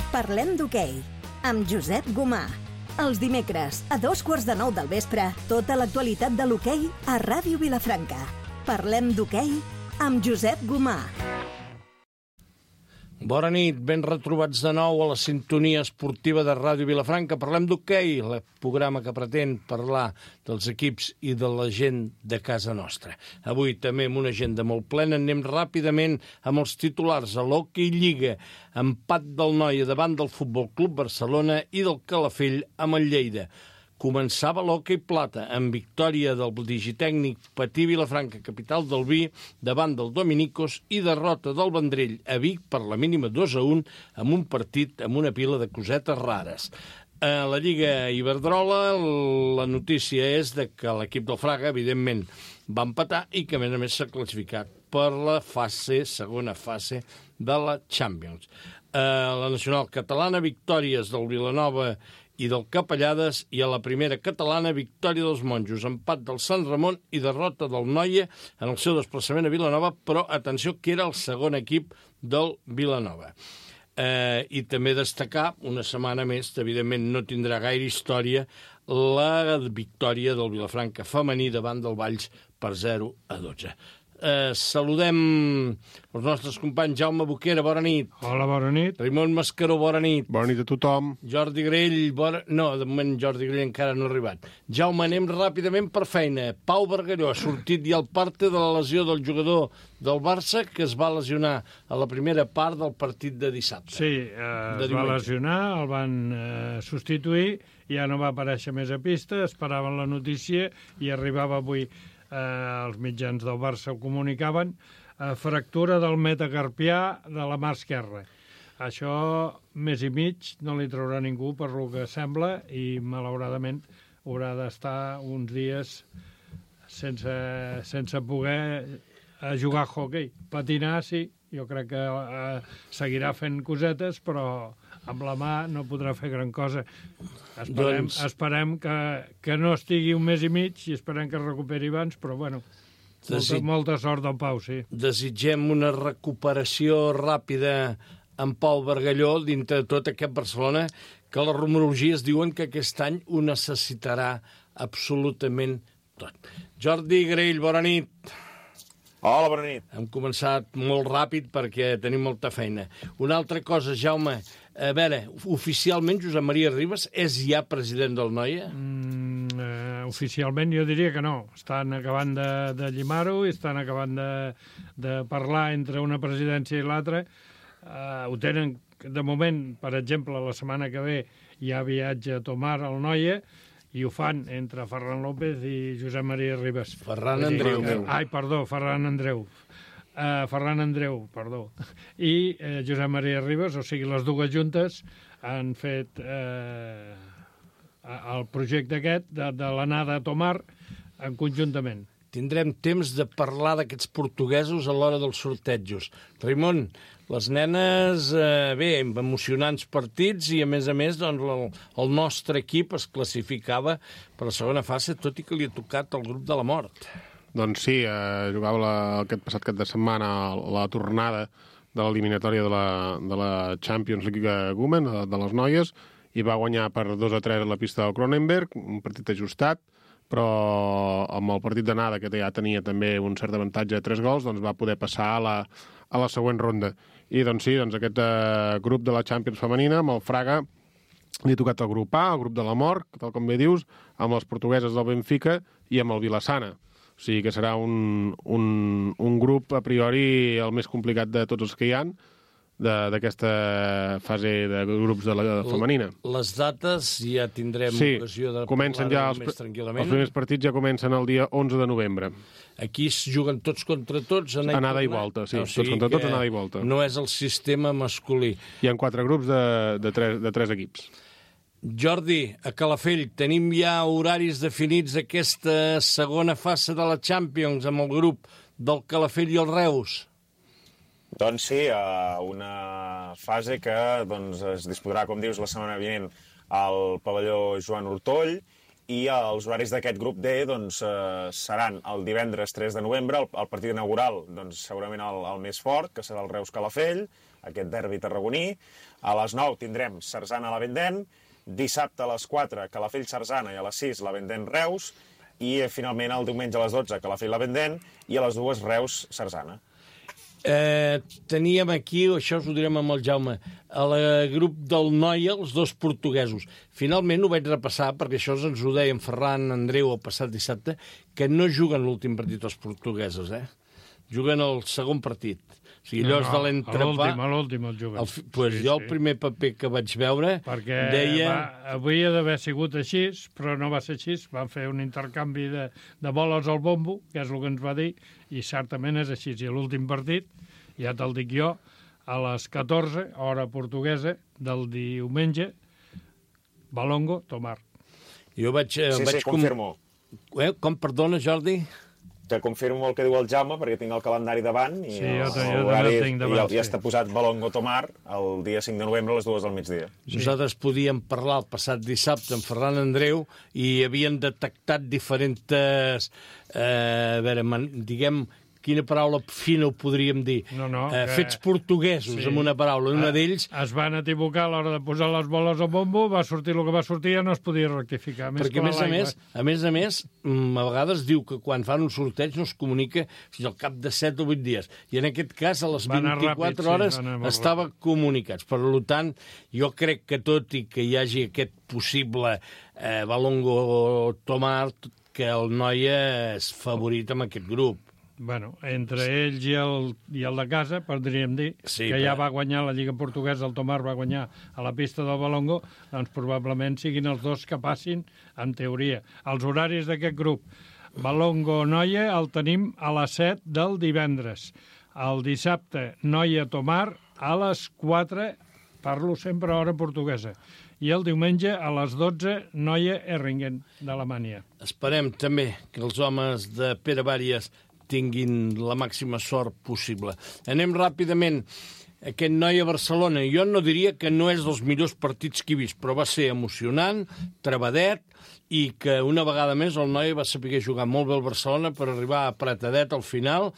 Parlem d'hoquei, amb Josep Gomà. Els dimecres, a 9:15 del vespre, tota l'actualitat de l'hoquei a Ràdio Vilafranca. Parlem d'hoquei amb Josep Gomà. Bona nit, ben retrobats de nou a la sintonia esportiva de Ràdio Vilafranca. Parlem d'hoquei, el programa que pretén parlar dels equips i de la gent de casa nostra. Avui també amb una agenda molt plena, anem ràpidament amb els titulars a l'Hockey Lliga. Empat del Noia davant del Futbol Club Barcelona i del Calafell amb el Lleida. Començava l'hoquei plata amb victòria del digitècnic Patí Vilafranca, capital del vi, davant del Dominicos i derrota del Vendrell a Vic per la mínima 2-1 amb un partit amb una pila de cosetes rares. A la Lliga Iberdrola la notícia és de que l'equip del Fraga, evidentment, va empatar i que, a més, s'ha classificat per la segona fase de la Champions. La nacional catalana, victòries del Vilanova i del Capellades, i a la primera catalana, victòria dels Monjos, empat del Sant Ramon i derrota del Noia en el seu desplaçament a Vilanova, però atenció que era el segon equip del Vilanova. I també destacar, una setmana més, evidentment no tindrà gaire història, la victòria del Vilafranca femení davant del Valls per 0-12. Saludem els nostres companys. Jaume Boquera, bona nit. Hola, bona nit. Raimon Mascaró, bona nit. Bona nit a tothom. Jordi Grell, no, de moment Jordi Grell encara no ha arribat. Jaume, anem ràpidament per feina. Pau Bargalló ha sortit ja al parte de la lesió del jugador del Barça, que es va lesionar a la primera part del partit de dissabte. Sí, es va lesionar, el van substituir, ja no va aparèixer més a pista, esperaven la notícia i arribava avui. Els mitjans del Barça ho comunicaven, fractura del metacarpià de la mà esquerra. Això, mes i mig, no li traurà ningú per lo que sembla i, malauradament, haurà d'estar uns dies sense poder jugar a hoquei. Patinar, sí, jo crec que seguirà fent cosetes, però amb la mà no podrà fer gran cosa. Esperem que no estigui un mes i mig i esperem que es recuperi abans, però bueno, molta sort del Pau, sí. Desitgem una recuperació ràpida en Pau Bargalló dintre de tot aquest Barcelona, que les rumorologies diuen que aquest any ho necessitarà absolutament tot. Jordi Grell, bona nit. Hola, bona nit. Hem començat molt ràpid perquè tenim molta feina. Una altra cosa, Jaume, a veure, oficialment Josep Maria Ribas és ja president del Noia? Oficialment jo diria que no. Estan acabant de llimar-ho i estan acabant de parlar entre una presidència i l'altra. Ho tenen, de moment, per exemple, la setmana que ve hi ha viatge a Tomar al Noia, i ho fan entre Ferran López i Josep Maria Ribas. Ferran Andreu. Ferran Andreu, perdó. I Josep Maria Ribas, o sigui, les dues juntes han fet el projecte aquest de l'anada a Tomar conjuntament. Tindrem temps de parlar d'aquests portuguesos a l'hora dels sortejos. Raimon, les nenes, bé, emocionants partits i, a més, doncs, el nostre equip es classificava per la segona fase, tot i que li ha tocat el grup de la mort. Doncs sí, jugava aquest passat cap de setmana la tornada de l'eliminatòria de la Champions League Women, de les noies, i va guanyar per 2-3 a la pista del Cronenberg, un partit ajustat, però amb el partit d'anada, que ja tenia també un cert avantatge de 3 gols, doncs va poder passar a la següent ronda. I doncs sí, aquest grup de la Champions femenina, amb el Fraga, li ha tocat el grup A, el grup de la mort, tal com bé dius, amb les portugueses del Benfica i amb el Vilassana. O sigui que serà un grup, a priori, el més complicat de tots els que hi ha, d'aquesta fase de grups de la femenina. Les dates ja tindrem ocasió de parlar més tranquil·lament. Els primers partits ja comencen el dia 11 de novembre. Aquí es juguen tots contra tots, anada i volta, sí. Tots contra tots, anada i volta. No és el sistema masculí. Hi ha 4 grups de 3 equips. Jordi, a Calafell, tenim ja horaris definits d'aquesta segona fase de la Champions amb el grup del Calafell i el Reus? Doncs sí, una fase que es disputarà, com dius, la setmana vinent al pavelló Joan Hortoll, i els horaris d'aquest grup D seran el divendres 3 de novembre, el partit inaugural segurament el més fort, que serà el Reus Calafell, aquest derbi tarragoní. A les 9 tindrem Sarzana-La Vendén, dissabte a les 4 Calafell-Sarzana i a les 6 La Vendén-Reus, i finalment el diumenge a les 12 Calafell-La Vendén i a les 2 Reus-Sarzana. Teníem aquí, això us ho direm amb el Jaume, al grup del Noia, els dos portuguesos. Finalment ho vaig repassar, perquè això ens ho deia en Ferran Andreu el passat dissabte, que no juguen l'últim partit els portuguesos, juguen el segon partit. O sigui, allò és de l'entrepà... L'últim el juguen. Jo el primer paper que vaig veure deia... Havia d'haver sigut així, però no va ser així. Van fer un intercanvi de boles al bombo, que és el que ens va dir, i certament és així. I l'últim partit, ja te'l dic jo, a les 14, hora portuguesa, del diumenge, Valongo, Tomar. Jo vaig... Sí, confirmo. Com, perdona, Jordi? Que confirmo el que diu el Jaume, perquè tinc el calendari davant i jo també el tinc davant, ja està posat Valongo Tomar el dia 5 de novembre a les 2 del migdia. Sí. Nosaltres podíem parlar el passat dissabte amb Ferran Andreu i havien detectat diferents... diguem... Quina paraula fina ho podríem dir? Fets portuguesos, amb una paraula. Una d'ells... Es van equivocar a l'hora de posar les boles al bombo, va sortir el que va sortir i no es podia rectificar. Perquè, a més a més, a vegades diu que quan fan un sorteig no es comunica fins al cap de 7 o 8 dies. I en aquest cas, a les 24 hores, estava comunicats. Per tant, jo crec que tot i que hi hagi aquest possible Valongo Tomar, que el Noia és favorit amb aquest grup. Bueno, entre ells i el de casa, podríem dir, que ja va guanyar la Lliga Portuguesa, el Tomar va guanyar a la pista del Valongo, doncs probablement siguin els dos que passin, en teoria. Els horaris d'aquest grup, Valongo-Noia el tenim a les 7 del divendres. El dissabte, Noia-Tomar a les 4, parlo sempre a hora portuguesa. I el diumenge a les 12, Noia-Erringen, d'Alemanya. Esperem també que els homes de Pere Vàries tinguin la màxima sort possible. Anem ràpidament. Aquest Noia Barcelona, jo no diria que no és dels millors partits que he vist, però va ser emocionant, trebadet, i que una vegada més el Noia va saber jugar molt bé al Barcelona per arribar apretadet al final,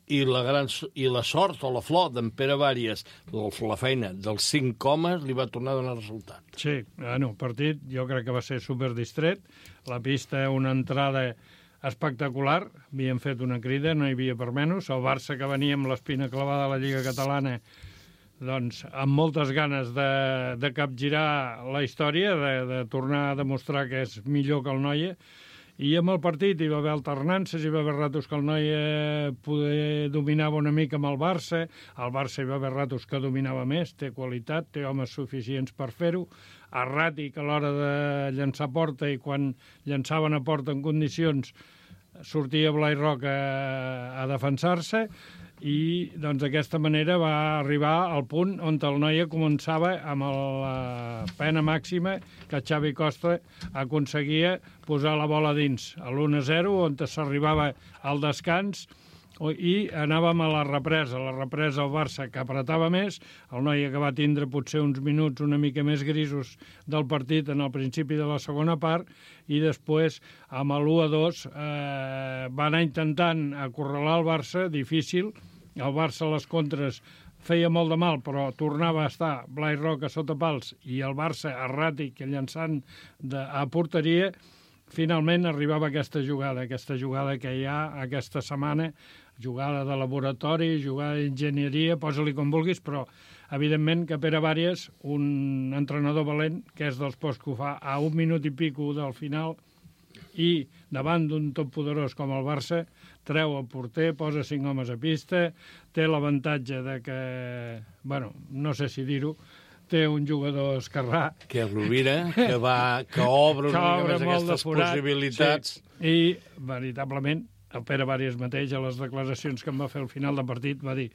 i la sort o la flor d'en Pere Vàries, la feina dels 5 homes, li va tornar a donar resultat. Sí, el partit jo crec que va ser superdistret, la pista, una entrada espectacular, havíem fet una crida, no hi havia per menys. El Barça, que venia amb l'espina clavada a la Lliga Catalana, doncs amb moltes ganes de capgirar la història, de tornar a demostrar que és millor que el Noia, i amb el partit hi va haver alternances, hi va haver ratos que el Noia dominava una mica amb el Barça hi va haver ratos que dominava més, té qualitat, té homes suficients per fer-ho, erràtic a l'hora de llançar porta, i quan llançaven a porta en condicions sortia Blai Roca a defensar-se, i doncs d'aquesta manera va arribar al punt on el Noia començava amb la pena màxima que Xavi Costa aconseguia posar la bola dins a l'1-0, on s'arribava al descans, i anàvem a la represa el Barça, que apretava més, el Noia, que va tindre potser uns minuts una mica més grisos del partit en el principi de la segona part, i després amb l'1-2 va anar intentant acorralar el Barça, difícil. El Barça a les contres feia molt de mal, però tornava a estar Blai Roca sota pals i el Barça erràtic llançant a porteria. Finalment arribava aquesta jugada que hi ha aquesta setmana, jugada de laboratori, jugada d'enginyeria, posa-li com vulguis, però evidentment que Pere Vàries, un entrenador valent, que és dels pocs que ho fa a 1 minut i pico del final, i davant d'un top poderós com el Barça, treu el porter, posa 5 homes a pista, té l'avantatge de que, bueno, no sé si dir-ho, té un jugador esquerrà... Que és Rovira, que obre una mica més aquestes possibilitats. Sí. I, veritablement, el Pere Vàries mateix, a les declaracions que em va fer al final del partit, va dir: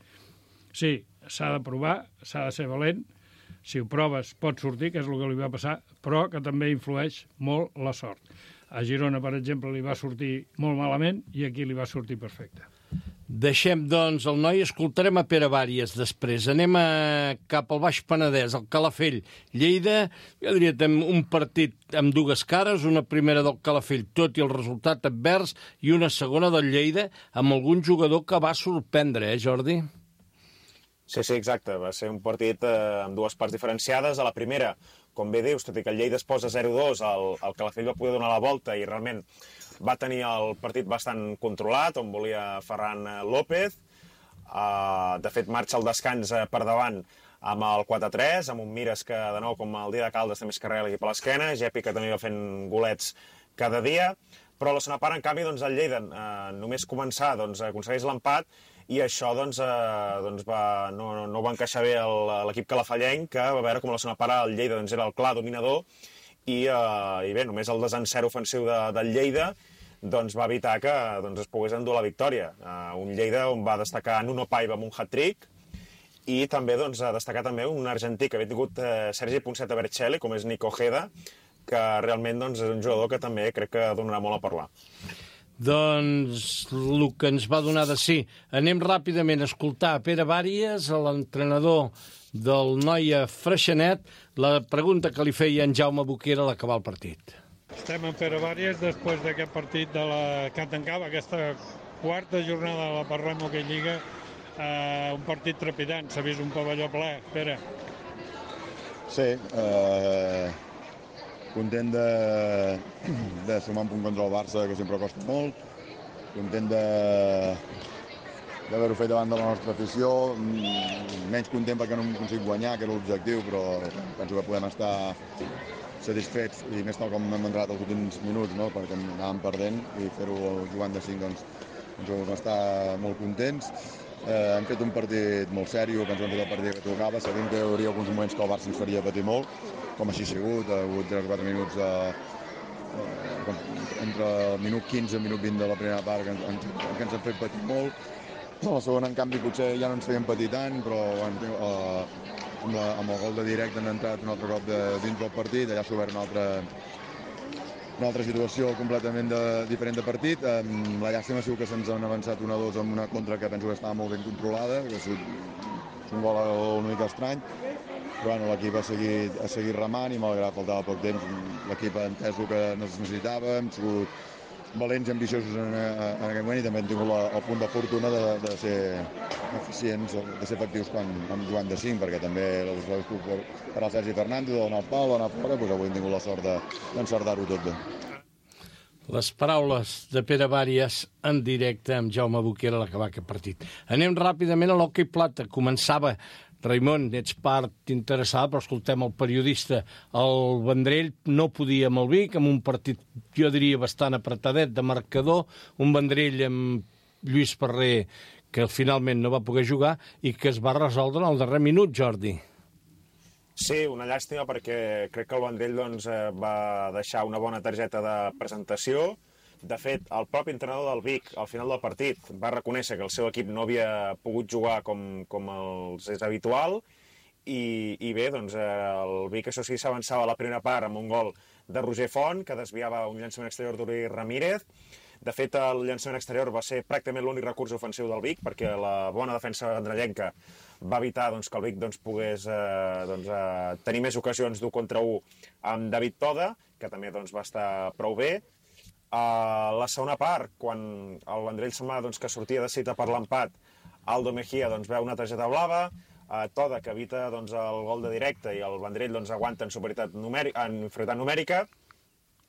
sí, s'ha de provar, s'ha de ser valent, si ho proves pot sortir, que és el que li va passar, però que també influeix molt la sort. A Girona, per exemple, li va sortir molt malament i aquí li va sortir perfecte. Deixem, doncs, el Noia, escoltarem a Pere Vàries després. Anem cap al Baix Penedès, al Calafell. Lleida, jo diria, un partit amb dues cares, una primera del Calafell, tot i el resultat advers, i una segona del Lleida, amb algun jugador que va sorprendre, Jordi? Sí, exacte. Va ser un partit amb dues parts diferenciades. A la primera, com bé dius, tot i que el Lleida es posa 0-2, el Calafell va poder donar la volta i realment va tenir el partit bastant controlat, on volia Ferran López. De fet, marxa el descans per davant amb el 4-3, amb un Mires que, de nou, com el dia de Caldes, també es carrega l'equip a l'esquena, Gepi, que també va fent golets cada dia, però a la segona part, en canvi, doncs, el Lleida, només començar, doncs, aconsegueix l'empat, i això doncs, no va encaixar bé l'equip calafallenc, que va veure com a la segona part el Lleida doncs, era el clar dominador, i bé, només el desencert ofensiu del Lleida doncs, va evitar que doncs, es pogués endur la victòria. Un Lleida on va destacar Nuno Paiva amb un hat-trick, i també doncs, destacar també un argentí que havia tingut Sergi Ponseta Bercelli, com és Nico Ojeda, que realment doncs, és un jugador que també crec que donarà molt a parlar. Doncs el que ens va donar de sí. Anem ràpidament a escoltar a Pere Bàries, l'entrenador del Noia Freixenet, la pregunta que li feia en Jaume Boquera a l'acabar el partit. Estem amb Pere Bàries després d'aquest partit de la que tancava aquesta quarta jornada de la Parlem Hoquei Lliga. Un partit trepidant, s'ha vist un pavelló ple. Pere. Sí, content de sumar un punt contra el Barça, que sempre costa molt, content d'haver-ho fet davant de la nostra afició, menys content perquè no hem aconseguit guanyar, que era l'objectiu, però penso que podem estar satisfets, i més tal com hem entrat els últims minuts, no? Perquè anàvem perdent, i fer-ho jugant de 5 doncs vam estar molt contents. Hem fet un partit molt sèrio, penso que hem fet el partit que tocava, sabent que hi hauria alguns moments que el Barça ens faria patir molt, com així ha sigut, ha hagut 3 o 4 minuts entre el minut 15 i el minut 20 de la primera part que ens han fet patir molt. A la segona, en canvi, potser ja no ens feien patir tant, però amb el gol de directe han entrat un altre cop dins del partit, allà s'ha obert una altra situació completament diferent de partit. La llàstima ha sigut que se'ns han avançat 1-2 amb una contra que penso que estava molt ben controlada, que ha sigut un gol una mica estrany, però bueno, l'equip ha seguit remant i malgrat faltava poc temps, l'equip ha entès el que necessitava, hem sigut valents i ambiciosos en aquest moment i també hem tingut el punt de fortuna de ser eficients, de ser efectius quan jugant de 5, perquè també per al Sergi Fernández, de donar el pal, d'anar fora, doncs avui hem tingut la sort d'encertar-ho tot bé. Les paraules de Pere Bàries en directe amb Jaume Boquera a l'acabar aquest partit. Anem ràpidament a l'hoquei plata. Començava, Raimon, ets part interessada, però escoltem el periodista. El Vendrell no podia amb el Vic, amb un partit, jo diria, bastant apretadet de marcador, un Vendrell amb Lluís Ferrer que finalment no va poder jugar i que es va resoldre en el darrer minut, Jordi. Sí, una llàstima perquè crec que el Vendrell doncs, va deixar una bona targeta de presentació. De fet, el propi entrenador del Vic, al final del partit, va reconèixer que el seu equip no havia pogut jugar com els és habitual i bé, doncs, el Vic, això sí, s'avançava a la primera part amb un gol de Roger Font, que desviava un llançament exterior d'Uri Ramírez. De fet, el llançament exterior va ser pràcticament l'únic recurs ofensiu del Vic, perquè la bona defensa andrellenca va evitar doncs, que el Vic doncs, pogués tenir més ocasions d'1 contra 1 amb David Toda, que també doncs, va estar prou bé. A la segona part, quan el Vendrell semblava doncs, que sortia de cita per l'empat, Aldo Mejía doncs, veu una targeta blava, Toda, que evita doncs, el gol de directe, i el Vendrell doncs, aguanta en inferioritat numèrica,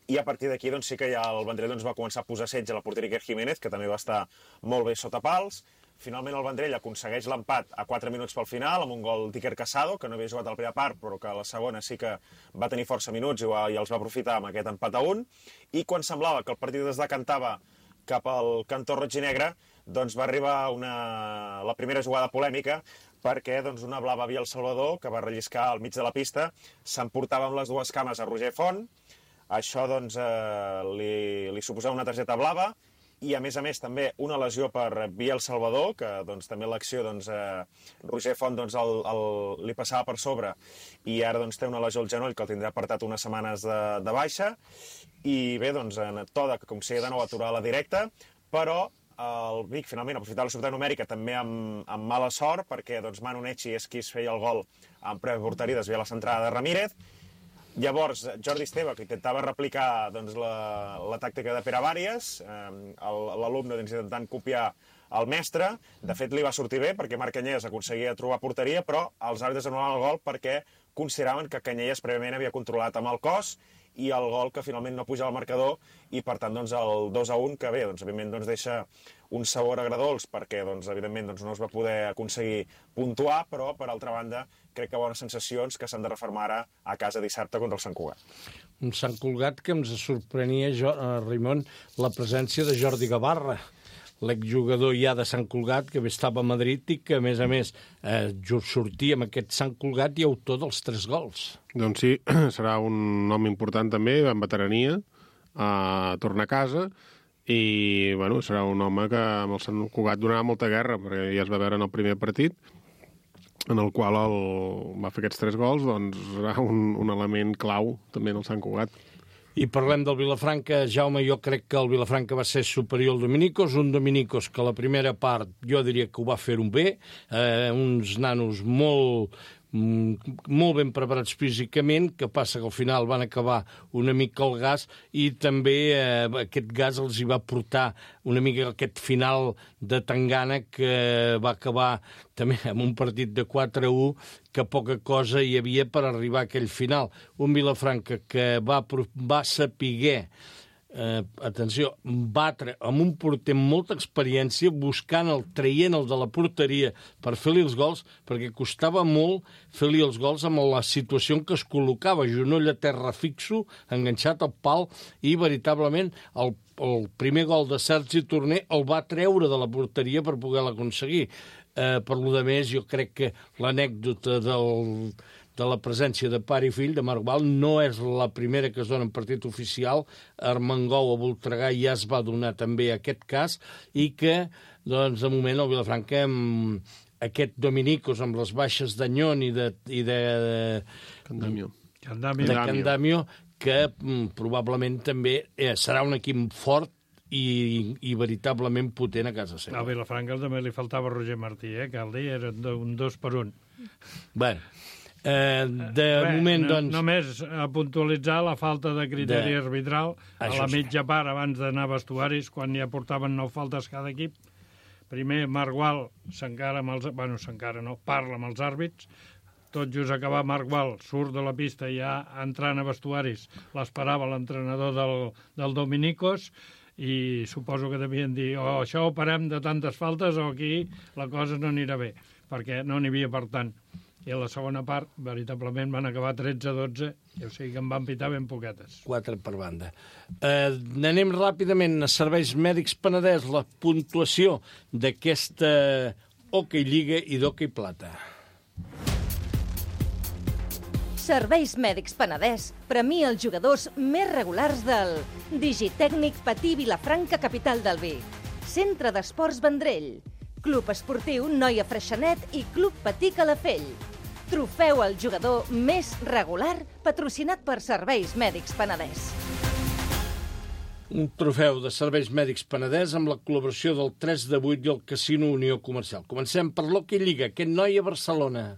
i a partir d'aquí doncs, sí que ja el Vendrell doncs, va començar a posar setge a la porteria Iker Jiménez, que també va estar molt bé sota pals. Finalment el Vendrell aconsegueix l'empat a 4 minuts pel final, amb un gol d'Iker Casado, que no havia jugat a la primera part, però que a la segona sí que va tenir força minuts i els va aprofitar amb aquest empat a 1. I quan semblava que el partit es decantava cap al cantó roig i negre, doncs va arribar la primera jugada polèmica, perquè doncs, una blava via El Salvador, que va relliscar al mig de la pista, s'emportava amb les dues cames a Roger Font. Això doncs, li suposava una targeta blava, i a més també una lesió per via El Salvador, que doncs, també l'acció doncs, Roger Font doncs, li passava per sobre i ara doncs, té una lesió al genoll que el tindrà apartat unes setmanes de baixa. I bé, doncs, Toda, que aconseguia de nou aturar la directa, però el Vic finalment aprofitava la sobretot numèrica també amb mala sort, perquè doncs, Manu Necci és qui es feia el gol en preu porteria, desvia la centrada de Ramírez. Llavors, Jordi Esteve, que intentava replicar doncs, la tàctica de Pere Bàries, l'alumne doncs, intentant copiar el mestre. De fet, li va sortir bé perquè Marc Canyelles aconseguia trobar porteria, però els àrbitres anul·laven el gol perquè consideraven que Canyelles prèviament havia controlat amb el cos i el gol que finalment no puja al marcador i, per tant, doncs, el 2-1, que bé, doncs, evidentment, doncs, deixa un sabor agredolç perquè, doncs, evidentment, doncs, no es va poder aconseguir puntuar, però, per altra banda, crec que bones sensacions que s'han de refermar ara a casa dissabte contra el Sant Cugat. Un Sant Cugat que ens sorprenia, Raimon, la presència de Jordi Gavarra, l'exjugador ja de Sant Cugat, que estava a Madrid i que, a més, sortia amb aquest Sant Cugat i autor dels 3 gols. Doncs sí, serà un home important també, en veterania, torna a casa, i bueno, serà un home que amb el Sant Cugat donarà molta guerra, perquè ja es va veure en el primer partit, en el qual va fer aquests 3 gols, doncs serà un element clau també en el Sant Cugat. I parlem del Vilafranca. Jaume, jo crec que el Vilafranca va ser superior al Dominicos, un Dominicos que la primera part jo diria que ho va fer un bé, uns nanos molt ben preparats físicament, que passa que al final van acabar una mica el gas i també aquest gas els hi va portar una mica aquest final de tangana que va acabar també amb un partit de 4-1 que poca cosa hi havia per arribar a aquell final. Un Vilafranca que va saber atenció, batre amb un porter amb molta experiència, traient el de la porteria per fer-li els gols, perquè costava molt fer-li els gols amb la situació en què es col·locava, genoll a terra fixo, enganxat al pal, i veritablement el primer gol de Sergi Torner el va treure de la porteria per poder-la aconseguir. Per lo de més, jo crec que l'anècdota de la presència de pare i fill de Marc Val no és la primera que es dona en partit oficial. Armengou a Voltregà ja es va donar també aquest cas i que, doncs, de moment el Vilafranca amb aquest Dominicos, amb les baixes d'Anyón i de Candamio, que probablement també serà un equip fort i veritablement potent a casa seva. A Vilafranca també li faltava Roger Martí, cal dir, era un 2 per 1. Bueno, moment, doncs... Només a puntualitzar la falta de criteri arbitral a la mitja part abans d'anar a vestuaris, quan ja portaven 9 faltes cada equip. Primer, Marc Gual s'encara amb els... Bueno, s'encara no, parla amb els àrbits. Tot just acabar, Marc Gual surt de la pista i ja entrant a vestuaris l'esperava l'entrenador del Dominicos i suposo que devien dir això ho parem de tantes faltes o aquí la cosa no anirà bé, perquè no n'hi havia per tant. I a la segona part, veritablement, van acabar 13-12, o sigui que en van pitar ben poquetes. 4 per banda. Anem ràpidament a Serveis Mèdics Penedès, la puntuació d'aquesta Hockey Lliga i d'Hockey Plata. Serveis Mèdics Penedès premia els jugadors més regulars del Digitècnic Patí Vilafranca, capital del Vi, Centre d'Esports Vendrell, Club Esportiu Noia Freixenet i Club Patí Calafell. Trofeu al jugador més regular patrocinat per Serveis Mèdics Penedès. Un trofeu de Serveis Mèdics Penedès amb la col·laboració del 3 de 8 i el Casino Unió Comercial. Comencem per l'Hockey Lliga, aquest Noia Barcelona.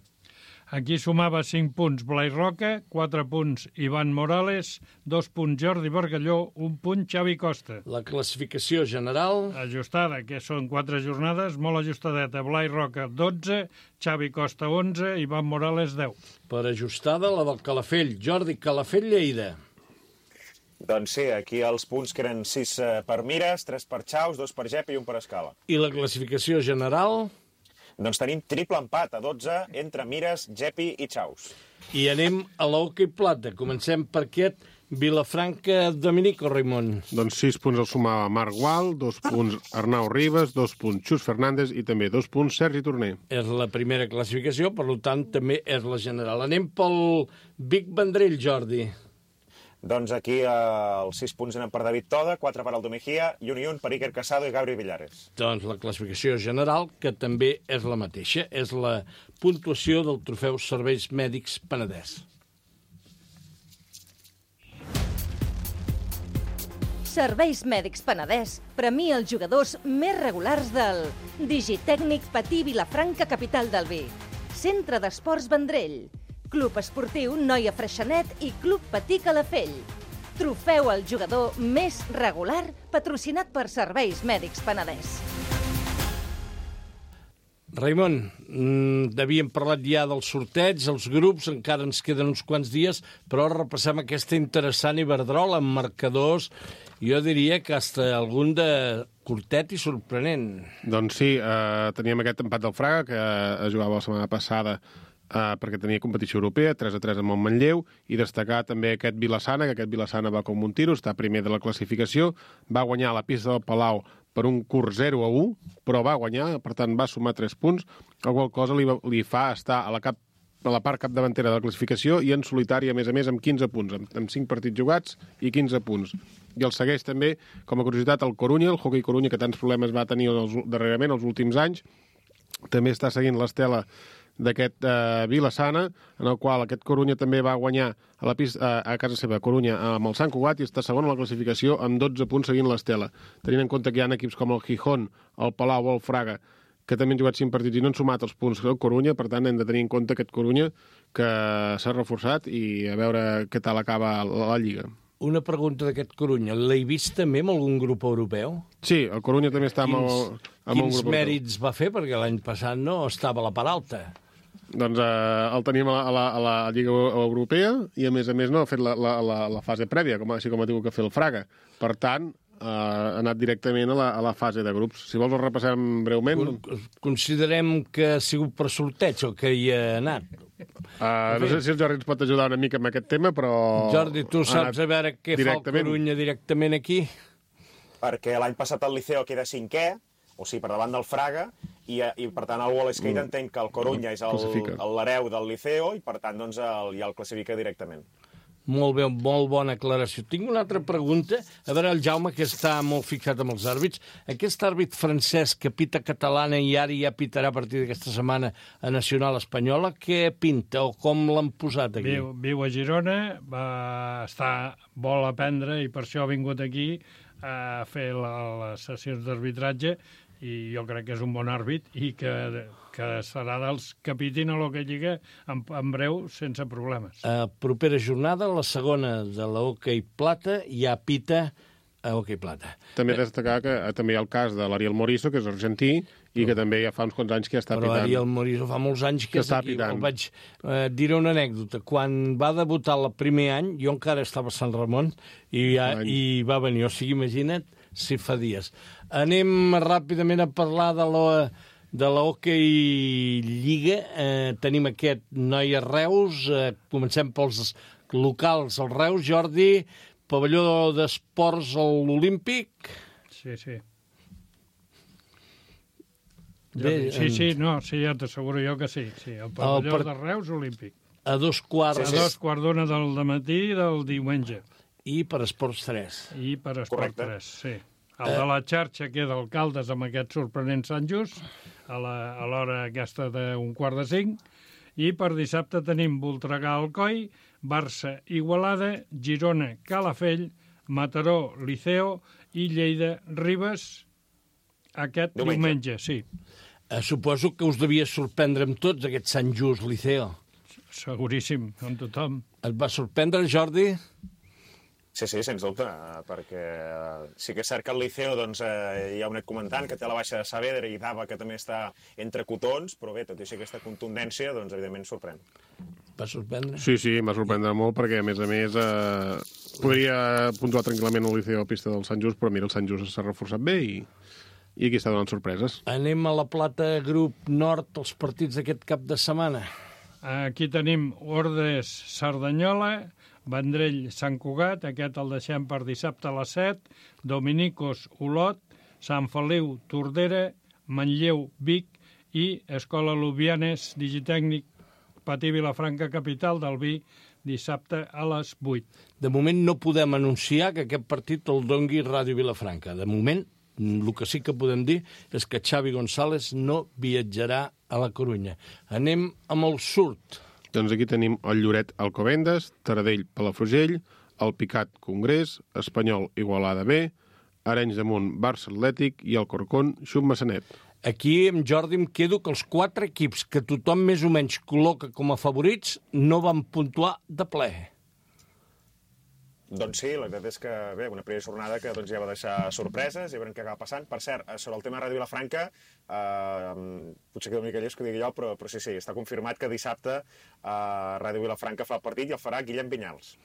Aquí sumava 5 punts Blai Roca, 4 punts Ivan Morales, 2 punts Jordi Bargalló, 1 punt Xavi Costa. La classificació general... Ajustada, que són 4 jornades, molt ajustadeta. Blai Roca, 12, Xavi Costa, 11, Ivan Morales, 10. Per ajustada, la del Calafell. Jordi, Calafell, Lleida. Doncs sí, aquí els punts que eren 6 per Mires, 3 per Xaus, 2 per Gep i 1 per Escala. I la classificació general... Doncs tenim triple empat a 12 entre Mires, Gepi i Xaus. I anem a l'Hockey Plata. Comencem per aquest Vilafranca Dominico, Raimon. Doncs 6 punts el sumava Marc Gual, 2 punts Arnau Ribas, 2 punts Xus Fernández i també 2 punts Sergi Torner. És la primera classificació, per tant també és la general. Anem pel Vic Vendrell, Jordi. Doncs aquí els 6 punts eren per David Toda, 4 per Aldo Mejía i un per Iker Casado i Gabri Villares. Doncs la classificació general, que també és la mateixa, és la puntuació del trofeu Serveis Mèdics Penedès. Serveis Mèdics Penedès premia els jugadors més regulars del Digitècnic Patí Vilafranca, capital del Vi, Centre d'Esports Vendrell, Club Esportiu Noia Freixenet i Club Patí Calafell. Trofeu al jugador més regular patrocinat per Serveis Mèdics Penedès. Raimon, havíem parlat ja del sorteig, els grups, encara ens queden uns quants dies, però repassem aquesta interessant Iberdrola amb marcadors, jo diria que hasta algun de curtet i sorprenent. Doncs sí, teníem aquest empat del Fraga, que es jugava la setmana passada perquè tenia competició europea, 3-3 amb el Manlleu, i destacar també aquest Vilassana, que aquest Vilassana va com un tiro, està primer de la classificació, va guanyar a la pista del Palau per un curt 0-1, però va guanyar, per tant va sumar 3 punts, qual cosa li fa estar a la part capdavantera de la classificació i en solitari, a més, amb 15 punts, amb 5 partits jugats i 15 punts. I el segueix també, com a curiositat, el Corunya, el Hockey Corunya, que tants problemes va tenir darrerament els últims anys, també està seguint l'estela d'aquest Vilassana, en el qual aquest Corunya també va guanyar a casa seva, Corunya, amb el Sant Cugat, i està segon a la classificació amb 12 punts seguint l'estela. Tenint en compte que hi ha equips com el Gijón, el Palau o el Fraga, que també han jugat 5 partits i no han sumat els punts del Corunya, per tant hem de tenir en compte aquest Corunya que s'ha reforçat i a veure què tal acaba la Lliga. Una pregunta d'aquest Corunya. L'he vist també amb algun grup europeu? Sí, el Corunya també està amb un grup europeu. Quins mèrits va fer? Perquè l'any passat no estava a la part alta. Doncs el tenim a la Lliga Europea i, a més, no ha fet la fase prèvia, així com ha tingut que fer el Fraga. Per tant, ha anat directament a la fase de grups. Si vols, el repassem breument. Considerem que ha sigut per sorteig el que hi ha anat. No sé si el Jordi ens pot ajudar una mica amb aquest tema, però... Jordi, tu saps a veure què fa el Corunya directament aquí? Perquè l'any passat el Liceo queda 5è, o sigui, per davant del Fraga, i per tant el Wall Skate entenc que el Corunya és l'hereu del Liceo i per tant doncs, ja el classifica directament. Molt bé, molt bona aclaració. Tinc una altra pregunta. A veure, el Jaume, que està molt fixat amb els àrbits. Aquest àrbit francès que pita catalana i ara ja pitarà a partir d'aquesta setmana a Nacional Espanyola, què pinta o com l'han posat aquí? Viu a Girona, vol aprendre i per això ha vingut aquí a fer les sessions d'arbitratge i jo crec que és un bon àrbit i que serà dels que pitin a l'Hockey Lliga en breu sense problemes. Propera jornada, la segona de l'Hockey Plata, ja pita a Hockey Plata. També destacar que també hi ha el cas de l'Ariel Moriso, que és argentí, i que també ja fa uns quants anys que està pitant. Però Ariel Moriso fa molts anys que és aquí. Vaig dir una anècdota. Quan va debutar el primer any, jo encara estava a Sant Ramon i va venir. O sigui, imagina't si fa dies. Anem ràpidament a parlar de la Hockey Lliga. Tenim aquest Noia Reus. Comencem pels locals. El Reus, Jordi, pavelló d'esports a l'Olímpic. Sí. Sí, ja t'asseguro jo que sí. El pavelló de Reus Olímpic. A 2:15. A 2:15 del dematí del diumenge. I per Esports 3. I per Esports 3, sí. El de la xarxa queda Alcaldes amb aquest sorprenent Sant Just, a l'hora aquesta d'un 4:45. I per dissabte tenim Voltregà Alcoi, Barça Igualada, Girona Calafell, Mataró Liceo i Lleida Ribes aquest diumenge, sí. Suposo que us devia sorprendre amb tots aquest Sant Just Liceo. Seguríssim, amb tothom. Et va sorprendre, Jordi? Sí, sens dubte, perquè sí que és cert que el Liceo, doncs, ja ho he anat comentant, que té la baixa de Saavedra i Dava, que també està entre cotons, però bé, tot i així aquesta contundència, doncs, evidentment, sorprèn. Va sorprendre? Sí, em va sorprendre molt, perquè, a més, podria puntuar tranquil·lament el Liceo a pista del Sant Just, però mira, el Sant Just s'ha reforçat bé i aquí està donant sorpreses. Anem a la Plata Grup Nord, els partits d'aquest cap de setmana. Aquí tenim Ordes Cerdanyola, Vendrell Sant Cugat, aquest el deixem per dissabte a les 7, Dominicos Olot, Sant Feliu Tordera, Manlleu Vic i Escola Lubianes Digitècnic Patí Vilafranca, capital del vi, dissabte a les 8. De moment no podem anunciar que aquest partit el dongui Ràdio Vilafranca. De moment, el que sí que podem dir és que Xavi González no viatjarà a la Corunya. Anem amb el surt. Doncs aquí tenim el Lloret Alcobendas, Taradell Palafrugell, el Picat Congrés, Espanyol Igualada B, Arenys de Munt Barça Atlètic i el Corcón Xum Massanet. Aquí, amb Jordi, em quedo que els 4 equips que tothom més o menys col·loca com a favorits no van puntuar de ple. Doncs sí, la veritat és que, bé, una primera jornada que doncs, ja va deixar sorpreses, ja veurem què acaba passant. Per cert, sobre el tema de Ràdio Vilafranca, potser queda una mica llest que ho digui jo, però sí, està confirmat que dissabte Ràdio Vilafranca fa el partit i el farà Guillem Vinyals.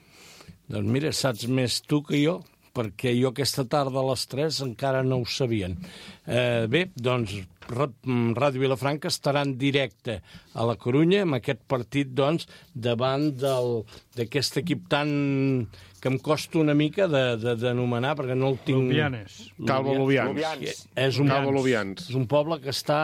Doncs mira, saps més tu que jo, perquè jo aquesta tarda a les 3 encara no ho sabien. Bé, doncs Ràdio Vilafranca estarà en directe a la Corunya amb aquest partit, doncs, davant d'aquest equip tan que em costa una mica d'anomenar, perquè no el tinc... Lubianes. Calvo Lubians. És un poble que està...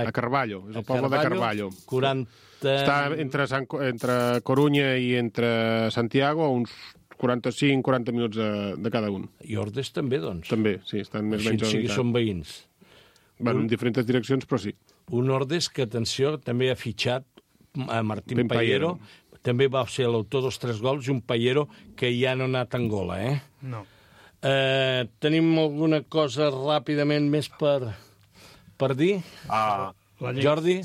A Carballo, és el poble de Carballo. 40... Està entre Corunya i entre Santiago, a uns 45-40 minuts de cada un. I Ordes també, doncs. També, sí, estan més o menys a la són veïns. Bueno, en diferents direccions, però sí. Un Ordes que, atenció, també ha fitxat a Martín Pallero. També va ser l'autor dels 3 gols i un Pallero que ja no ha anat a Angola, No. Tenim alguna cosa ràpidament més per dir? Jordi?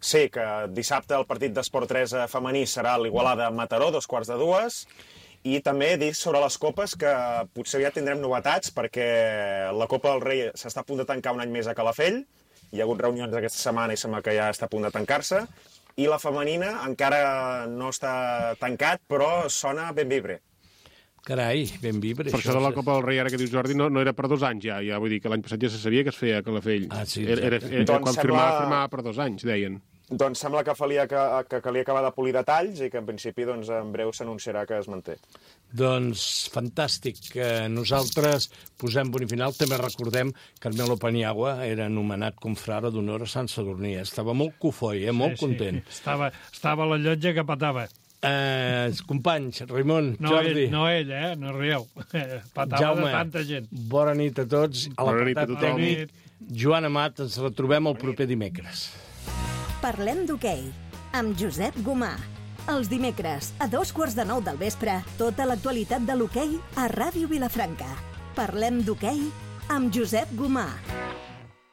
Sí, que dissabte el partit d'Esport 3 femení serà l'Igualada Mataró, 2:45, i també dir sobre les copes que potser ja tindrem novetats perquè la Copa del Rei s'està a punt de tancar un any més a Calafell, hi ha hagut reunions aquesta setmana i sembla que ja està a punt de tancar-se, i la femenina encara no està tancat, però sona ben vibre. Carai, ben vibre. Per això de la Copa del Rei, ara que dius Jordi, no era per 2 anys ja vull dir que l'any passat ja se sabia que es feia a Calafell. Sí, quan firmava per 2 anys, deien. Doncs sembla que calia acabar de polir detalls i que en principi doncs, en breu s'anunciarà que es manté. Doncs fantàstic. Nosaltres posem punt i final. També recordem que Carmelo Paniagua era anomenat confrare d'honor a Sant Sadurní. Estava molt cofoi, molt content. Estava a la llotja que patava. Companys, Raimon, Jordi... No ell, no rieu. Patava Jaume, de tanta gent. Bona nit a tots. A l'apartat tècnic, Joan Amat, ens retrobem el proper dimecres. Parlem d'hoquei, amb Josep Gomà. Els dimecres, a 8:45 del vespre, tota l'actualitat de l'hoquei a Ràdio Vilafranca. Parlem d'hoquei amb Josep Gomà.